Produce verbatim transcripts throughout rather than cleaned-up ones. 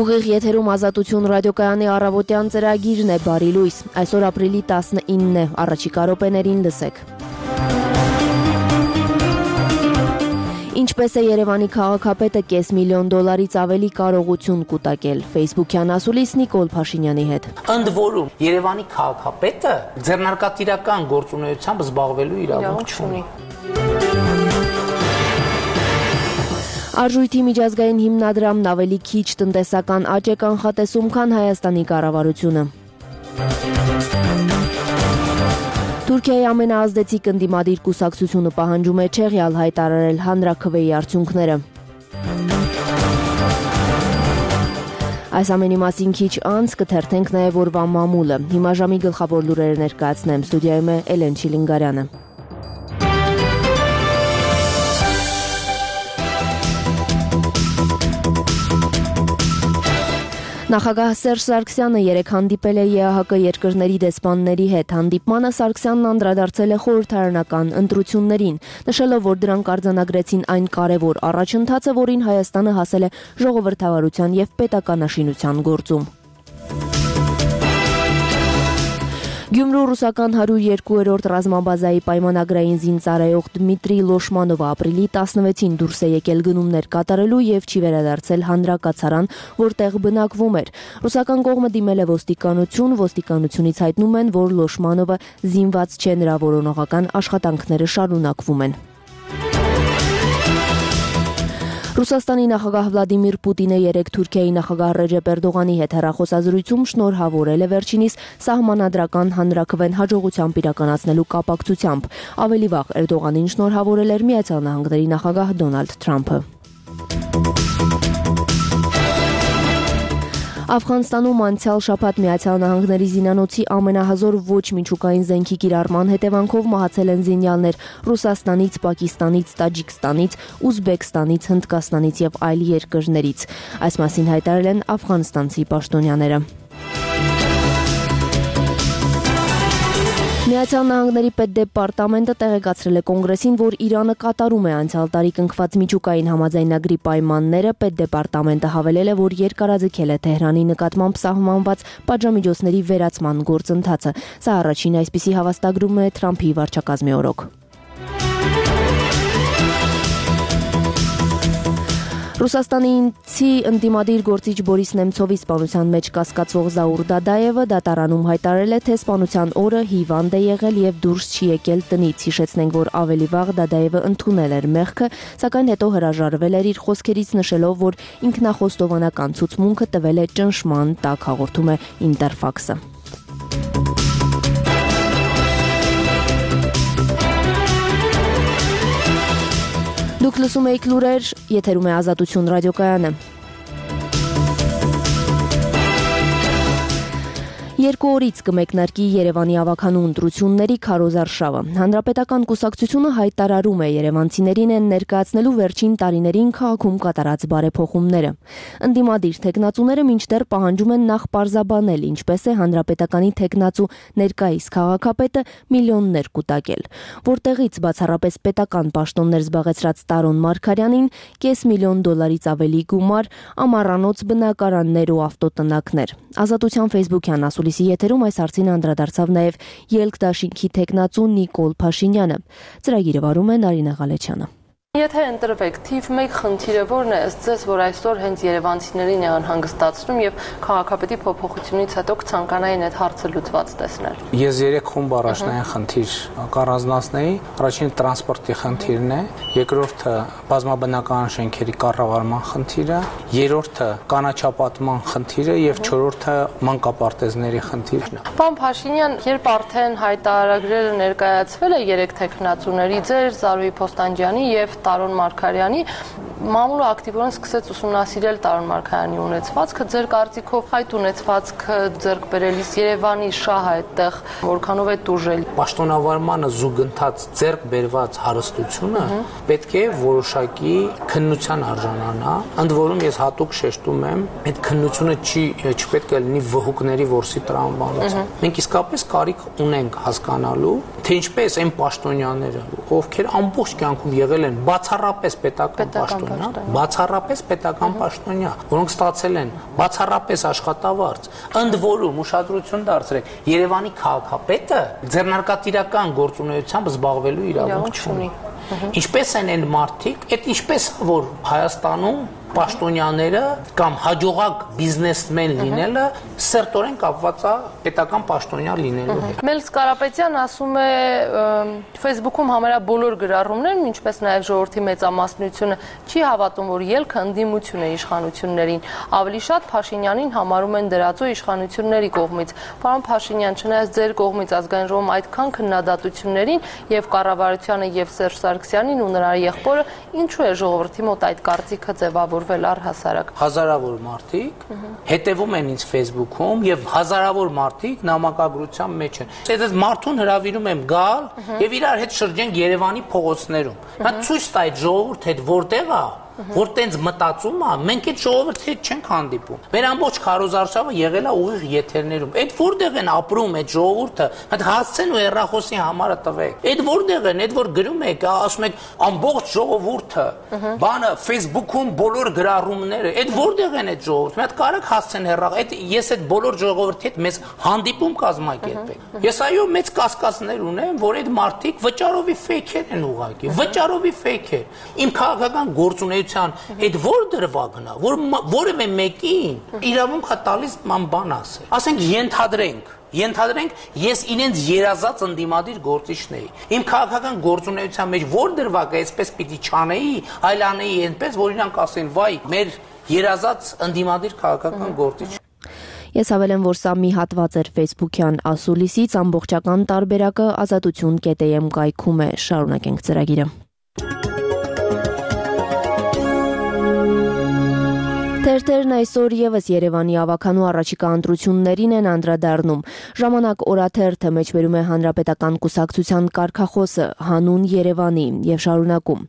Ուղիղ եթերում Ազատություն ռադիոկայանի առավոտյան ծրագիրն է Բարի լույս։ Այսօր ապրիլի տասնինն է, առաջիկա րոպեներին լսեք։ Ինչպես է Երևանի քաղաքապետը կես միլիոն դոլարից ավելի կարողություն կուտակել, Facebook-յան ասուլիս Նիկոլ Փաշինյանի հետ։ Ընդ որում, Երևանի քաղաքապետը ձեռնարկատիրական գործունեությամբ զբաղվելու իրավունք չունի։ Արժույթի միջազգային հիմնադրամն ավելի քիչ տնտեսական աճ է կանխատեսում, քան Հայաստանի կառավարությունը։ Թուրքիայի ամենաազդեցիկ ընդդիմադիր կուսակցությունը պահանջում է չեղյալ հայտարարել հանրաքվեի արդյունքները։ Այս ամենի մասին քիչ անց կթերթենք նաև օրվա մամուլը։ Հիմա ժամի գլխավոր լուրերը ներկայացնեմ, ստուդիայում է Էլեն Չիլինգարյանը։ Նախագահ Սերժ Սարգսյանը երեկ հանդիպել է ԵԱՀԿ երկրների դեսպանների հետ։ Հանդիպմանը Սարգսյանն անդրադարձել է խորհրդարանական ընտրություններին, նշելով, որ դրանք արձանագրեցին այն կարևոր առաջընթացը, որին Հայաստանը հասել է ժողովրդավարության և պետականաշինության գործում։ Գյումրու ռուսական հարյուր երկու-րդ ռազմաբազայի պայմանագրային զինծառայող Դմիտրի Լոշմանովը ապրիլի տասնվեցին դուրս է եկել գնումներ կատարելու և չի վերադարձել հանրակացարան, որտեղ բնակվում էր։ Ռուսական կողմը դիմել է ոստիկանություն, ոստիկանությունից հայտնում են, որ Լոշմանովը զինված չէ, նրա որոնողական աշխատանքները շարունակվում են։ Ռուսաստանի նախագահ Վլադիմիր Պուտինը երեկ Թուրքիայի նախագահ Ռեջեփ Էրդողանի հետ հեռախոսազրույցում շնորհավորել է վերջինիս սահմանադրական հանրաքվեն հաջողությամբ իրականացնելու կապակցությամբ։ Ավելի վաղ Էրդողանին շնորհավորել էր Միացյալ Նահանգների նախագահ Դոնալդ Թրամփը։ Աֆղանստանում անցյալ շաբաթ Միացյալ Նահանգների զինանոցի ամենահզոր ոչ միջուկային զենքի կիրառման հետևանքով մահացել են զինյալներ Ռուսաստանից, Պակիստանից, Տաջիկստանից, Ուզբեկստանից, Հնդկաստանից և այլ երկրներից։ Այս մասին հայտարարել են աֆղանստանցի պաշտոնյաները։ Միացյալ Նահանգների պետդեպարտամենտը տեղեկացրել է կոնգրեսին, որ Իրանը կատարում է անցյալ տարի կնքված միջուկային համաձայնագրի պայմանները։ Պետդեպարտամենտը հավելել է, որ երկարաձգել է Թեհրանի նկատմամբ սահմանված պատժամիջոցների վերացման գործընթացը։ Սա առաջին այսպիսի հավաստագրումն է Թրամփի վարչակազմի օրոք։ Ռուսաստանցի ընդդիմադիր գործիչ Բորիս Նեմցովի սպանության մեջ կասկածվող Զաուր Դադաևը դատարանում հայտարարել է, թե սպանության օրը հիվանդ է եղել և դուրս չի եկել տնից։ Հիշեցնենք, որ ավելի վաղ Դադաևը ընդունել էր մեղքը, սակայն հետո հրաժարվել էր իր խոսքերից, նշելով, որ ինքնախոստովանական ցուցմունքը տվել է ճնշման տակ, հաղորդում է Ինտերֆաքսը։ Դուք լսում եք լուրեր, եթերում է Ազատություն ռադիոկայանը։ Երկու օրից կմեկնարկի Երևանի ավագանու ընտրությունների քարոզարշավը։ Հանրապետական կուսակցությունը հայտարարում է երևանցիներին են ներկայացնելու վերջին տարիներին քաղաքում կատարած բարեփոխումները։ Ընդդիմադիր թեկնածուները մինչդեռ պահանջում են նախ պարզաբանել, ինչպես է հանրապետականի թեկնածու ներկայիս քաղաքապետը միլիոններ կուտակել, որտեղից բացառապես պետական պաշտոններ զբաղեցրած Տարոն Մարգարյանին կես միլիոն դոլարից ավելի գումար, ամառանոց բնակարաններ ու ավտոտնակներ։ Ազատության Facebook-յան ասուլիսի եթերում այս հարցին անդրադարձավ նաև Ելք դաշինքի թեկնածու Նիկոլ Փաշինյանը։ Ծրագիրը վարում է Նարինե Ղալեչյանը։ Եթե ընտրվեք, թիվ մեկ խնդիրը որն է ըստ ձեզ, որ այսօր հենց երևանցիներին է անհանգստացնում եւ քաղաքապետի փոփոխությունից հետո կցանկանային այդ հարցը լուծված տեսնել։ Ես երեք խումբ առաջնային խնդիր կառանձնացնեի։ Առաջինը տրանսպորտի խնդիրն է, երկրորդը բազմաբնակարան շենքերի կառավարման խնդիրը, երրորդը կանաչապատման խնդիրը եւ չորրորդը մանկապարտեզների խնդիրն է։ Պարոն Փաշինյան, երբ արդեն հայտարարագրերը ներկայացվել է երեք թեկնածուների, ձեր Զարուհի Փոստանջյանի եւ Տարոն Մարգարյանի, մամուլը ակտիվորեն սկսեց ուսումնասիրել Տարոն Մարգարյանի ունեցվածքը։ Ձեր կարծիքով այդ ունեցվածքը ձեռք բերելիս Երևանի շահը այդտեղ որքանով է տուժել։ Պաշտոնավարմանը զուգընթաց ձեռք բերված հարստությունը պետք է որոշակի քննության արժանանա։ Ընդ որում ես հատուկ շեշտում եմ, այդ քննությունը չի չպետք է լինի վհուկների որսի տրամաբանությամբ։ Մենք իսկապես կարիք ունենք հասկանալու, թե ինչպես այն պաշտոնյաները, ովքեր ամբողջ կյանքում եղել են բացառապես պետական պաշտոնյա, բացառապես պետական պաշտոնյա, որոնք ստացել են բացառապես աշխատավարձ, ընդ որում ուշադրություն դարձրեք, Երևանի քաղաքապետը ձեռնարկատիրական գործունեությամբ զբաղվելու իրավունք չունի։ Ինչպես են այն մարդիկ, այդ ինչպես որ Հայաստանում պաշտոնյաները կամ հաջողակ բիզնեսմեն լինելը սերտորեն կապված է պետական պաշտոնյա լինելու հետ։ Մելս Կարապետյան ասում է Facebook-ում համարյա բոլոր գրառումներն, ինչպես նաև ժողովրդի մեծամասնությունը չի հավատում, որ ելքը ընդդիմություն է իշխանություններին, ավելի շատ Փաշինյանին համարում են դրածո իշխանությունների կողմից։ Պարոն Փաշինյան, չնայած ձեր կողմից ազգային ժողովում այդքան քննադատություններին եւ կառավարությանը եւ Սերժ Սարգսյանին ու նրա եղբորը, ինչու է ժողովրդի մոտ այդ կարծիքը ձևավորվել առհասարակ։ Հազարավոր մարդիկ հետևում են ինձ Facebook-ում եւ հազարավոր մարդիկ նամակագրության մեջ են։ Ես մարդուն հրավիրում եմ գալ եւ իրար հետ շրջենք Երևանի փողոցներում։ Նա ցույց տա այդ ժողովուրդ հետ որտեղ է, որ տենց մտածում է, մենք այդ ժողովրդի հետ չենք հանդիպում։ Մեր ամբողջ քարոզարշավը եղել է ուղիղ եթերներում։ Այդ որտեղ են ապրում այդ ժողովուրդը, այդ հասցեն ու հեռախոսի համարը տվեք։ Այդ որտեղ են, այդ որ գրում եք, ասում եք ամբողջ ժողովուրդը, բանը Facebook-ում բոլոր գրառումները, այդ որտեղ են այդ ժողովուրդը։ Մի հատ կարեք հասցեն հեռախ, այդ ես այդ բոլոր ժողովրդի հետ մեզ հանդիպում կազմակերպեք։ Ես այո մեծ կասկածներ ունեմ, որ այդ մարդիկ վճարովի ֆեյքեր են ուղղակի, վճարովի ֆեյքեր։ Իմ քաղաքական գործունեությունը այդ որ դրվագն է, որ որևէ մեկին իրավունք է տալիս ման բան ասել։ Ասենք ենթադրենք, ենթադրենք ես իրենց երազած ընդդիմադիր գործիչն էի։ Իմ քաղաքական գործունեության մեջ որ դրվագը այսպես պիտի չանեի, այլ անեի այնպես, որ իրանք ասեն, վայ, մեր երազած ընդդիմադիր քաղաքական գործիչ։ Ես հավելեմ, որ սա մի հատված էր Facebook-յան ասուլիսից, ամբողջական տարբերակը ազատություն կետ էմ կայքում է, շարունակենք ծրագիրը։ Թերթերն այսօր եւս Երևանի ավականու առաջիկա ընտրություններին են անդրադառնում։ Ժամանակ օրաթերթը մեջբերում է հանրապետական կուսակցության կարգախոսը հանուն Երևանի եւ շարունակում։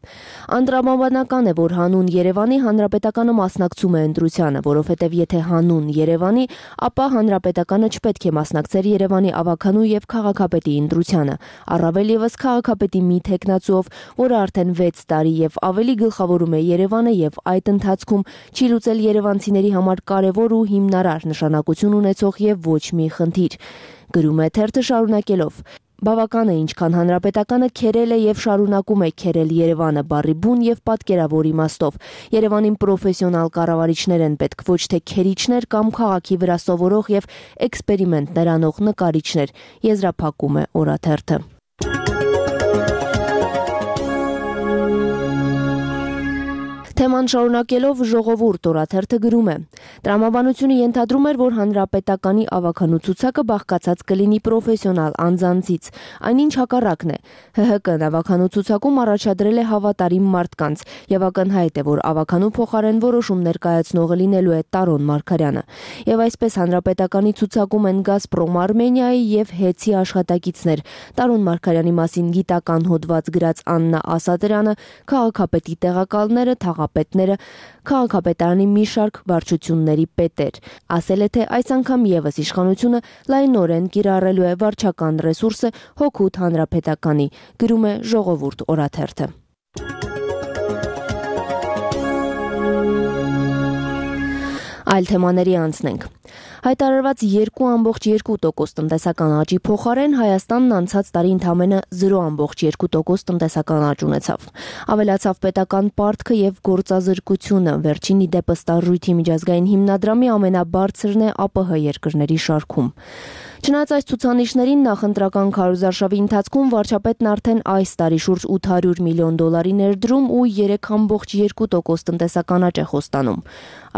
Անդրադառնական է, որ հանուն Երևանի հանրապետականը մասնակցում է ընտրությանը, որովհետեւ եթե հանուն Երևանի, ապա հանրապետականը չպետք է մասնակցեր Երևանի ավականու եւ քաղաքապետի ընտրությանը, առավել եւս քաղաքապետի մի թեկնածուով, որը արդեն վեց տարի եւ ավելի գլխավորում է Երևանը եւ այդ ընթացքում չի լուծել երևանցիների համար կարևոր ու հիմնարար նշանակություն ունեցող եւ ոչ մի խնդիր, գրում է թերթը շարունակելով։ Բավական է ինչքան հանրապետականը քերել է եւ շարունակում է քերել Երևանը բառի բուն եւ պատկերավոր իմաստով։ Երևանին պրոֆեսիոնալ կառավարիչներ են պետք, ոչ թե քերիչներ կամ քաղաքի վրա սովորող եւ էքսպերիմենտներ անող նկարիչներ, եզրափակում է օրաթերթը։ Թեման շարունակելով ժողովուրդ օրաթերթը գրում է. Տրամաբանությունը ենթադրում էր, որ հանրապետականի ավականու ցուցակը բաղկացած կլինի պրոֆեսիոնալ անձանցից, այնինչ հակառակն է։ Հ Հ Կ-ն ավականու ցուցակում առաջադրել է հավատարիմ մարդկանց, եւ ակնհայտ է, որ ավականու փոխարեն որոշում ներկայացնողը լինելու է Տարոն Մարգարյանը։ Եվ այսպես հանրապետականի ցուցակում են Գազպրոմ Արմենիայի եւ Հեցի աշխատակիցներ, Տարոն Մարգարյանի մասին գիտական հոդված գրած Աննա Ասատրյանը, քաղաքապետի տեղակալները, պետները, քաղաքապետարանի մի շարք վարչությունների պետեր։ Ասել է, թե այս անգամ եւս իշխանությունը լայնորեն կիրառելու է վարչական ռեսուրսը հօգուտ հանրապետականի, գրում է Ժողովուրդ օրաթերթը։ Այլ թեմաների անցնենք։ Հայտարարված երկու ամբողջ երկու տոկոս տնտեսական աճի փոխարեն Հայաստանն անցած տարի ընդամենը զրո ամբողջ երկու տոկոս տնտեսական աճ ունեցավ։ Ավելացավ պետական պարտքը եւ գործազրկությունը, վերջին ի դեպս Տարժույթի միջազգային հիմնադրամի ամենաբարձրն է Ա Պ Հ երկրների շարքում։ Չնայած այս ցուցանիշներին նախընտրական քարոզարշավի ընթացքում վարչապետն արդեն այս տարի շուրջ ութ հարյուր միլիոն դոլարի ներդրում ու երեք ամբողջ երկու տոկոս տնտեսական աճ է խոստանում։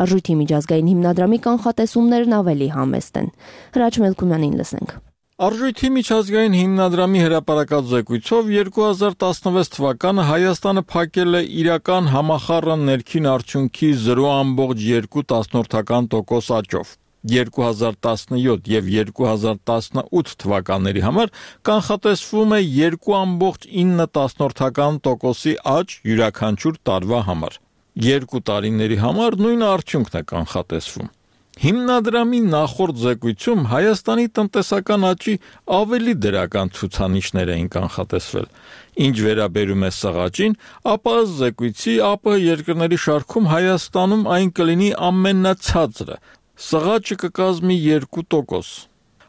Արժույթի միջազգային հիմնադրամի կանխատեսումներն ավելի համեստ են։ Հրաչ Մելքումյանին լսենք։ Արժույթի միջազգային հիմնադրամի հրապարակած զեկույցով երկու հազար տասնվեց թվականը Հայաստանը փակել է իրական համախառն ներքին արդյունքի զրո ամբողջ երկու տոկոս աճով։ երկու հազար տասնյոթ եւ երկու հազար տասնութ թվականների համար կանխատեսվում է երկու ամբողջ ինը տոկոսի աճ յուրաքանչյուր տարվա համար։ Երկու տարիների համար նույն արդյունքն է կանխատեսվում։ Հիմնադրամի նախորդ զեկույցում Հայաստանի տնտեսական աճի ավելի դրական ցուցանիշներ էին կանխատեսվել։ Ինչ վերաբերում է սղաճին, ապա ըստ զեկույցի ԱՊՀ երկրների շարքում Հայաստանում այն կլինի ամենացածրը։ Սղաճը կկազմի երկու տոկոս։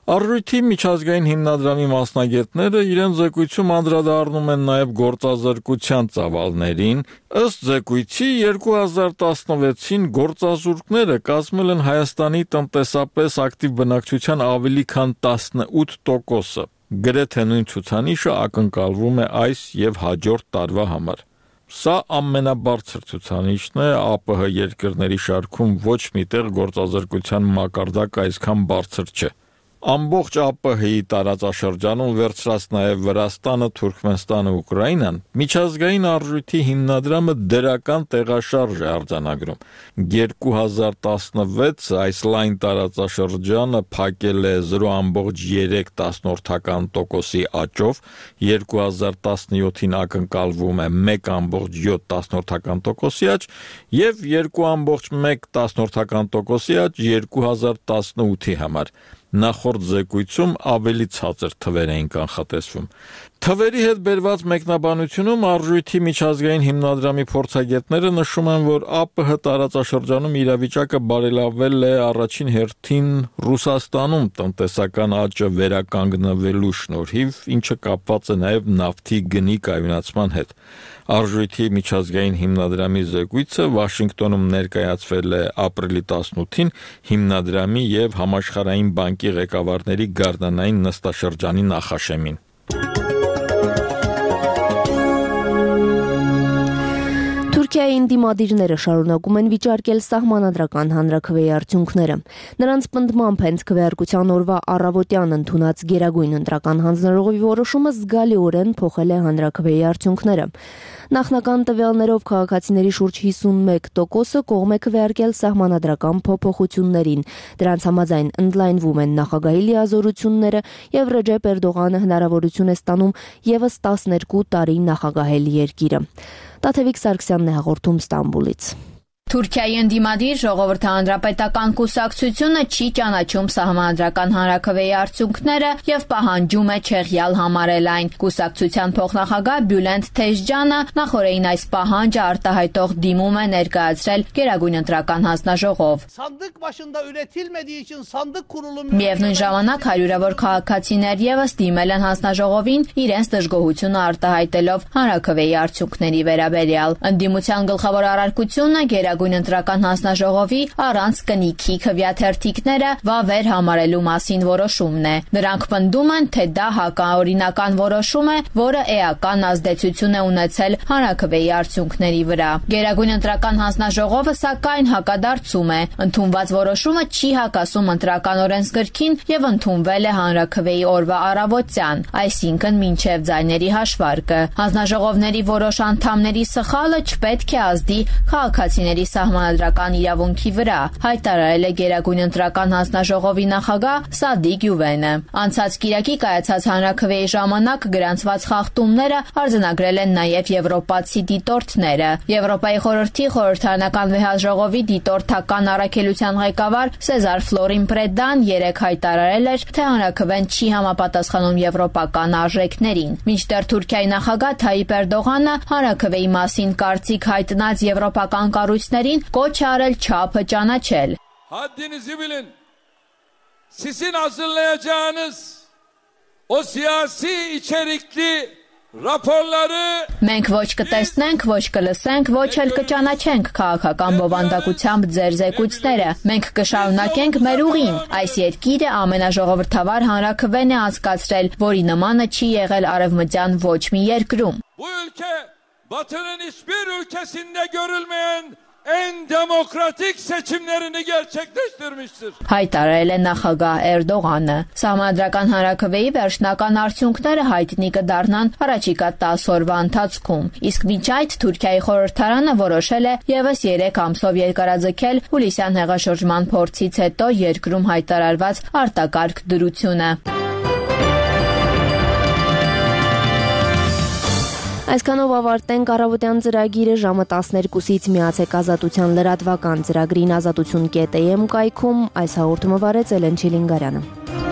Արժույթի միջազգային հիմնադրամի մասնագետները իրենց զեկույցում անդրադառնում են նաև գործազրկության ծավալներին։ Ըստ զեկույցի երկու հազար տասնվեցին գործազուրկները կազմել են Հայաստանի տնտեսապես ակտիվ բնակչության ավելի քան տասնութ տոկոսը։ Գրեթե նույն ցուցանիշը ակնկալվում է այս եւ հաջորդ տարվա համար։ Սա ամենաբարձր ցուցանիշն է ԱՊՀ երկրների շարքում, ոչ միտեղ գործազրկության մակարդակը այսքան բարձր չէ։ Ամբողջ ԱՊՀ-ի տարածաշրջանում վերցրած նաև Վրաստանը, Թուրքմենստանը, Ուկրաինան, միջազգային արժույթի հիմնադրամը դրական տեղաշարժ է արձանագրում։ երկու հազար տասնվեց այս լայն տարածաշրջանը փակել է զրո կoma երեք տոկոսի աճով, երկու հազար տասնյոթին ակնկալվում է մեկ կoma յոթ տոկոսի աճ եւ երկու կoma մեկ տոկոսի աճ երկու հազար տասնութի համար։ Նախորդ զեկույցում ավելի ցածր թվեր էին կանխատեսվում։ Թվերի հետ բերված մեկնաբանությունում արժույթի միջազգային հիմնադրամի փորձագետները նշում են, որ ԱՊՀ տարածաշրջանում իրավիճակը բարելավվել է առաջին հերթին Ռուսաստանում տնտեսական աճը վերականգնվելու շնորհիվ, ինչը կապված է նաև նավթի գնի կայունացման հետ։ Արժույթի միջազգային հիմնադրամի զեկույցը Վաշինգտոնում ներկայացվել է ապրիլի տասնութին հիմնադրամի եւ Համաշխարհային բանկի ղեկավարների գարնանային նստաշրջանի նախաշեմին։ Թուրքիայի ընդդիմադիրները շարունակում են վիճարկել սահմանադրական հանրաքվեի արդյունքները։ Նրանց պնդմամբ հենց քվեարկության օրվա առավոտյան ընդունած Գերագույն ընտրական հանձնաժողովի որոշումը զգալիորեն փոխել է հանրաքվեի արդյունքները։ Նախնական տվյալներով քաղաքացիների շուրջ հիսունմեկ տոկոսը կողմ է քվեարկել սահմանադրական փոփոխություններին։ Դրանց համաձայն ընդլայնվում են նախագահի լիազորությունները եւ Ռեջեփ Էրդողանը հնարավորություն է ստանում եւս տասներկու տարի նախագահել երկիրը։ Տաթևիկ Սարգսյանն է հաղորդում Ստամբուլից։ Թուրքիայի ընդդիմադիր ժողովրդահանրապետական կուսակցությունը չի ճանաչում սահմանադրական հանրաքվեի արդյունքները եւ պահանջում է չեղյալ համարել այն։ Կուսակցության փոխնախագահ Բյուլենդ Թեժջանը նախորդին այս պահանջը արտահայտող դիմում է ներկայացրել Գերագույն ընտրական հանձնաժողով։ Միևնույն ժամանակ հարյուրավոր քաղաքացիներ եւս դիմել են հանձնաժողովին իրենց դժգոհությունը արտահայտելով հանրաքվեի արդյունքների վերաբերյալ։ Ընդդիմության գլխավոր առարկությունը Գերագույն ընտրական հանձնաժողովի առանց կնիքի քվեաթերթիկները վավեր համարելու մասին որոշումն է։ Նրանք պնդում են, թե դա հակաօրինական որոշում է, որը էական ազդեցություն է ունեցել հանրաքվեի արդյունքների վրա։ Գերագույն ընտրական հանձնաժողովը սակայն հակադարձում է։ Ընդունված որոշումը չի հակասում ընտրական օրենսգրքին եւ ընդունվել է հանրաքվեի օրվա առավոտյան, այսինքն մինչեւ ձայների հաշվարկը։ Հանձնաժողովների որոշ անդամների սխալը չպետք է ազդի քաղաքացիների սահմանադրական իրավունքի վրա, հայտարարել է Գերագույն ընտրական հանձնաժողովի նախագահ Սադիկ Յուվենը։ Անցած կիրակի կայացած հանրաքվեի ժամանակ գրանցված խախտումները արձանագրել են նաև եվրոպացի դիտորդները։ Եվրոպայի խորհրդի խորհրդարանական վեհաժողովի դիտորդական առաքելության ղեկավար Սեզար Ֆլորին Պրեդան երեկ հայտարարել էր, թե հանրաքվեն չի համապատասխանում եվրոպական արժեքներին։ Մինչդեռ Թուրքիայի նախագահ Թայիպ Էրդողանը հանրաքվեի մասին կարծիք հայտնած եվրոպական կառույցներին կոչ է արել չափը ճանաչել։ Haddinizi bilin. Sizin hazırlayacağınız o siyasi içerikli raporları Մենք ոչ կտեսնենք, ոչ կլսենք, ոչ էլ կճանաչենք քաղաքական բովանդակությամբ ձեր զեկույցները։ Մենք կշարունակենք մեր ուղին։ Այս երկիրը ամենաժողովրդավար հանրաքվեն է անցկացրել, որի նմանը չի եղել արևմտյան ոչ մի երկրում։ Bu ülke Batı'nın hiçbir ülkesinde görülmeyen en demokratik seçimlerini gerçekleştirmiştir. Հայտարարել է նախագահ Էրդողանը։ Սահմանադրական հանրաքվեի վերջնական արդյունքները հայտնի կդառնան առաջիկա տասը օրվա ընթացքում։ Իսկ մինչ այդ Թուրքիայի խորհրդարանը որոշել է եւս երեք ամսով երկարաձգել հուլիսյան հեղաշրջման փորձից հետո երկրում հայտարարված արտակարգ դրությունը։ Այսքանով ավարտենք առավոտյան ծրագիրը ժամը տասներկուսից միացեք Ազատության լրատվական ծրագրին ազատություն կետ էի էմ կայքում այս հաղորդումը վարեց Էլեն Չիլինգարյանը։